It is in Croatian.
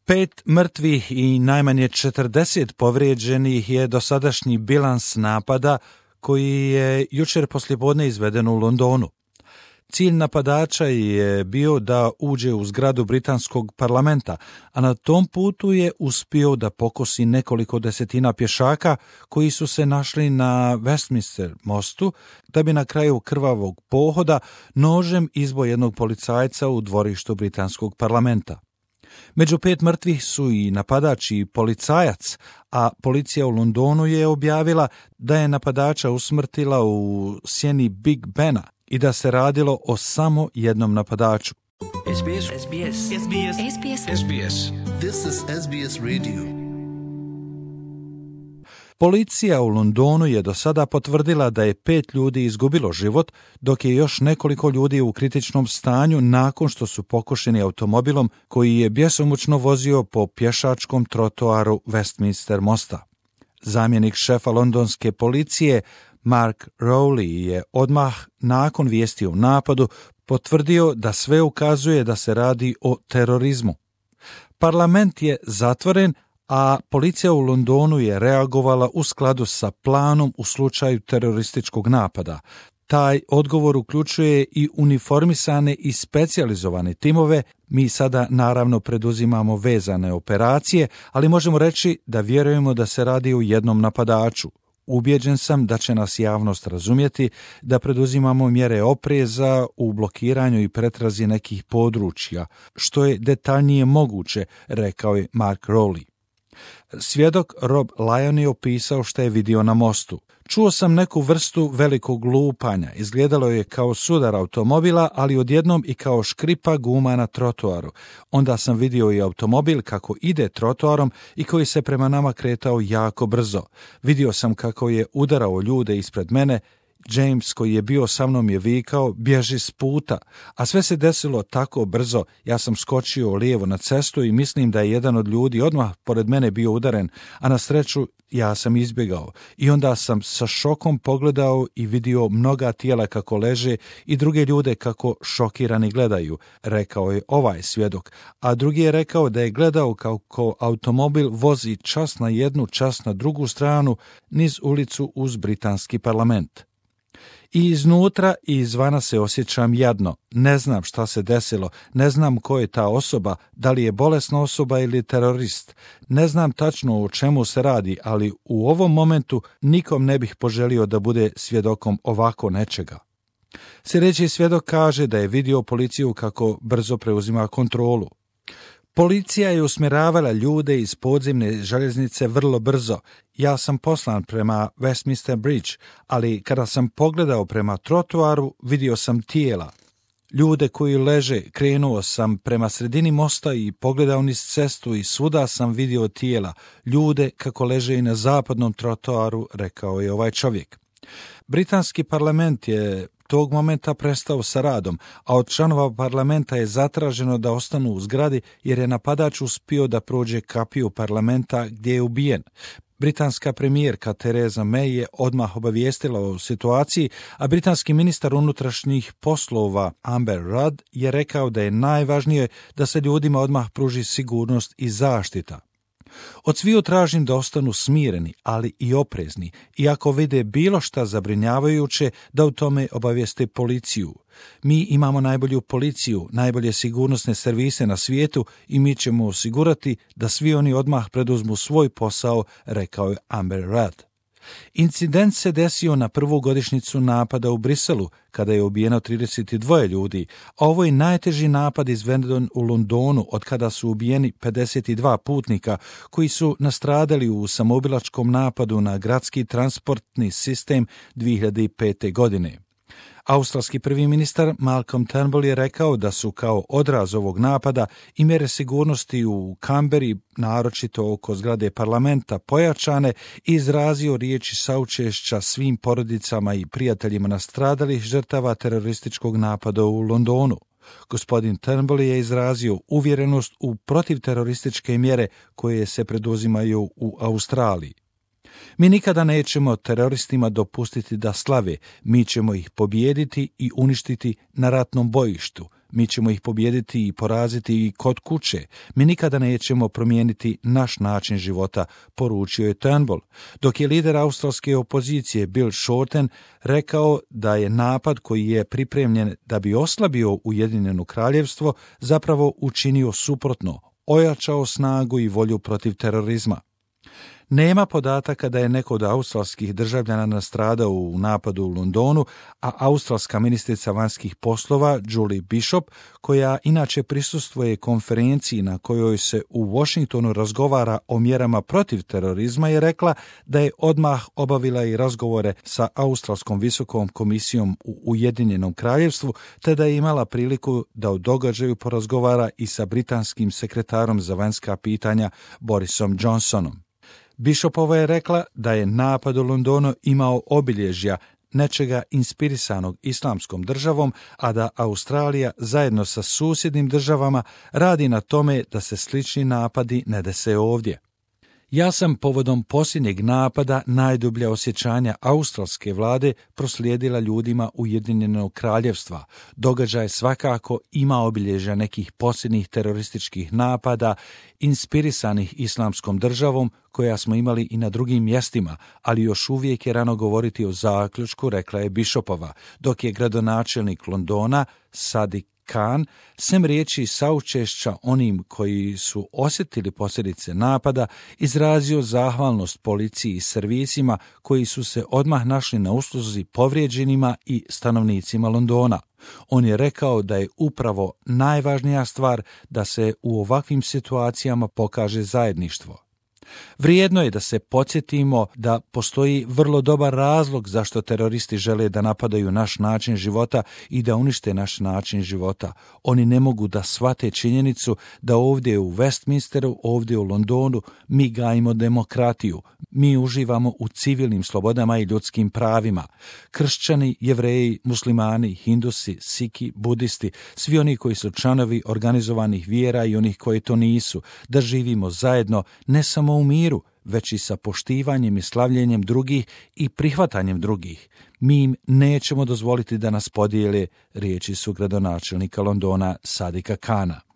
5 mrtvih i najmanje 40 povrijeđenih je dosadašnji bilans napada koji je jučer poslijepodne izveden u Londonu. Cilj napadača je bio da uđe u zgradu britanskog parlamenta, a na tom putu je uspio da pokosi nekoliko desetina pješaka koji su se našli na Westminster mostu, da bi na kraju krvavog pohoda nožem izbo jednog policajca u dvorištu britanskog parlamenta. Među 5 mrtvih su i napadač i policajac, a policija u Londonu je objavila da je napadača usmrtila u sjeni Big Bena i da se radilo o samo jednom napadaču. SBS. This is SBS Radio. Policija u Londonu je do sada potvrdila da je 5 ljudi izgubilo život, dok je još nekoliko ljudi u kritičnom stanju nakon što su pokošeni automobilom koji je bjesomučno vozio po pješačkom trotoaru Westminster mosta. Zamjenik šefa londonske policije Mark Rowley je odmah nakon vijesti o napadu potvrdio da sve ukazuje da se radi o terorizmu. Parlament je zatvoren, a policija u Londonu je reagovala u skladu sa planom u slučaju terorističkog napada. Taj odgovor uključuje i uniformisane i specijalizovane timove. Mi sada naravno preduzimamo vezane operacije, ali možemo reći da vjerujemo da se radi o jednom napadaču. Ubjeđen sam da će nas javnost razumjeti da preduzimamo mjere opreza u blokiranju i pretrazi nekih područja, što je detaljnije moguće, rekao je Mark Rowley. Svjedok Rob Lyon je opisao što je vidio na mostu. Čuo sam neku vrstu velikog lupanja. Izgledalo je kao sudar automobila, ali odjednom i kao škripa guma na trotoaru. Onda sam vidio i automobil kako ide trotoarom i koji se prema nama kretao jako brzo. Vidio sam kako je udarao ljude ispred mene. James, koji je bio sa mnom, je vikao: bježi s puta, a sve se desilo tako brzo. Ja sam skočio lijevo na cestu i mislim da je jedan od ljudi odmah pored mene bio udaren, a na sreću ja sam izbjegao. I onda sam sa šokom pogledao i vidio mnoga tijela kako leže i druge ljude kako šokirani gledaju, rekao je ovaj svjedok, a drugi je rekao da je gledao kako automobil vozi čas na jednu, čas na drugu stranu niz ulicu uz britanski parlament. I iznutra i izvana se osjećam jadno. Ne znam šta se desilo, ne znam ko je ta osoba, da li je bolesna osoba ili terorist. Ne znam tačno o čemu se radi, ali u ovom momentu nikom ne bih poželio da bude svjedokom ovako nečega. Sljedeći svjedok kaže da je vidio policiju kako brzo preuzima kontrolu. Policija je usmjeravala ljude iz podzemne željeznice vrlo brzo. Ja sam poslan prema Westminster Bridge, ali kada sam pogledao prema trotoaru, vidio sam tijela. Ljude koji leže, krenuo sam prema sredini mosta i pogledao niz cestu i svuda sam vidio tijela. Ljude kako leže i na zapadnom trotoaru, rekao je ovaj čovjek. Britanski parlament je tog momenta prestao sa radom, a od članova parlamenta je zatraženo da ostanu u zgradi jer je napadač uspio da prođe kapiju parlamenta gdje je ubijen. Britanska premijerka Theresa May je odmah obavijestila o situaciji, a britanski ministar unutrašnjih poslova Amber Rudd je rekao da je najvažnije da se ljudima odmah pruži sigurnost i zaštita. Od sviju tražim da ostanu smireni, ali i oprezni, i ako vide bilo šta zabrinjavajuće, da u tome obavijeste policiju. Mi imamo najbolju policiju, najbolje sigurnosne servise na svijetu i mi ćemo osigurati da svi oni odmah preduzmu svoj posao, rekao je Amber Rudd. Incident se desio na prvu godišnjicu napada u Briselu, kada je ubijeno 32 ljudi, a ovo je najteži napad izveden u Londonu od kada su ubijeni 52 putnika koji su nastradali u samoubilačkom napadu na gradski transportni sistem 2005. godine. Australski prvi ministar Malcolm Turnbull je rekao da su kao odraz ovog napada i mjere sigurnosti u Canberri, naročito oko zgrade parlamenta, pojačane i izrazio riječi saučešća svim porodicama i prijateljima nastradalih žrtava terorističkog napada u Londonu. Gospodin Turnbull je izrazio uvjerenost u protivterorističke mjere koje se preduzimaju u Australiji. Mi nikada nećemo teroristima dopustiti da slave, mi ćemo ih pobijediti i uništiti na ratnom bojištu. Mi ćemo ih pobijediti i poraziti i kod kuće. Mi nikada nećemo promijeniti naš način života, poručio je Turnbull. Dok je lider australske opozicije Bill Shorten rekao da je napad koji je pripremljen da bi oslabio Ujedinjeno kraljevstvo zapravo učinio suprotno, ojačao snagu i volju protiv terorizma. Nema podataka da je neko od australskih državljana nastradao u napadu u Londonu, a australska ministrica vanjskih poslova Julie Bishop, koja inače prisustvuje konferenciji na kojoj se u Washingtonu razgovara o mjerama protiv terorizma, je rekla da je odmah obavila i razgovore sa Australskom visokom komisijom u Ujedinjenom kraljevstvu, te da je imala priliku da u događaju porazgovara i sa britanskim sekretarom za vanjska pitanja Borisom Johnsonom. Bishopova je rekla da je napad u Londonu imao obilježja nečega inspirisanog islamskom državom, a da Australija zajedno sa susjednim državama radi na tome da se slični napadi ne dese ovdje. Ja sam povodom posljednjeg napada najdublja osjećanja australske vlade proslijedila ljudima Ujedinjenog kraljevstva. Događaj svakako ima obilježja nekih posljednjih terorističkih napada, inspirisanih islamskom državom, koja smo imali i na drugim mjestima, ali još uvijek je rano govoriti o zaključku, rekla je Bishopova, dok je gradonačelnik Londona, Sadiq Khan, sem riječi saučešća onim koji su osjetili posljedice napada, izrazio zahvalnost policiji i servisima koji su se odmah našli na usluzi povrijeđenima i stanovnicima Londona. On je rekao da je upravo najvažnija stvar da se u ovakvim situacijama pokaže zajedništvo. Vrijedno je da se podsjetimo da postoji vrlo dobar razlog zašto teroristi žele da napadaju naš način života i da unište naš način života. Oni ne mogu da shvate činjenicu da ovdje u Westminsteru, ovdje u Londonu, mi gajimo demokratiju. Mi uživamo u civilnim slobodama i ljudskim pravima. Kršćani, Jevreji, muslimani, Hindusi, Siki, budisti, svi oni koji su članovi organizovanih vjera i onih koji to nisu, da živimo zajedno ne samo u miru, već i sa poštivanjem i slavljenjem drugih i prihvatanjem drugih. Mi im nećemo dozvoliti da nas podijele, riječi su gradonačelnika Londona Sadiqa Khana.